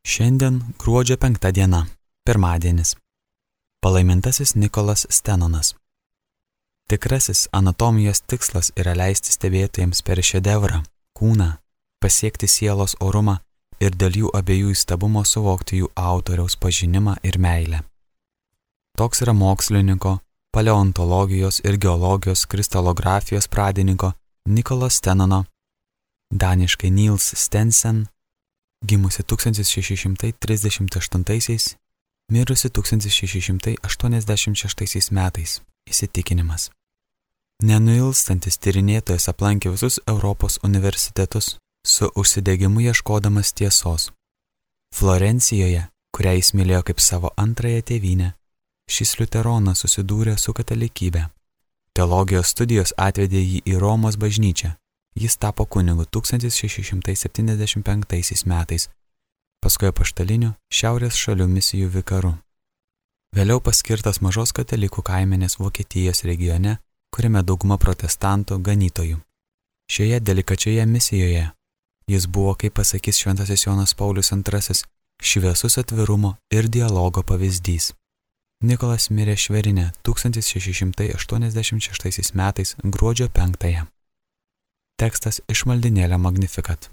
Šiandien gruodžio 5 diena, pirmadienis. Palaimintasis Nikolas Stenonas. Tikrasis anatomijos tikslas yra leisti stebėtojams per šedevrą, kūną, pasiekti sielos orumą ir dėl jų abiejų įstabumo suvokti jų autoriaus pažinimą ir meilę. Toks yra mokslininko, paleontologijos ir geologijos kristalografijos pradininko Nikolo Stenono, daniškai Niels Stensen, gimusi 1638, mirusi 1686 metais, įsitikinimas. Nenuilstantis tyrinėtojas aplankė visus Europos universitetus, su užsidegimu ieškodamas tiesos. Florencijoje, kurią jis mylėjo kaip savo antrąją tėvynę, šis liuteronas susidūrė su katalikybė. Teologijos studijos atvedė jį į Romos bažnyčią. Jis tapo kunigu 1675 metais, paskui apaštaliniu šiaurės šalių misijų vikaru. Vėliau paskirtas mažos katalikų kaimenės Vokietijos regione, kuriame dauguma protestantų ganytojų. Šioje delikačioje misijoje jis buvo, kaip pasakys šventasis Jonas Paulius II, šviesus atvirumo ir dialogo pavyzdys. Nikolas mirė Šverine 1686 metais gruodžio 5. Tekstas iš maldynėlio Magnificat.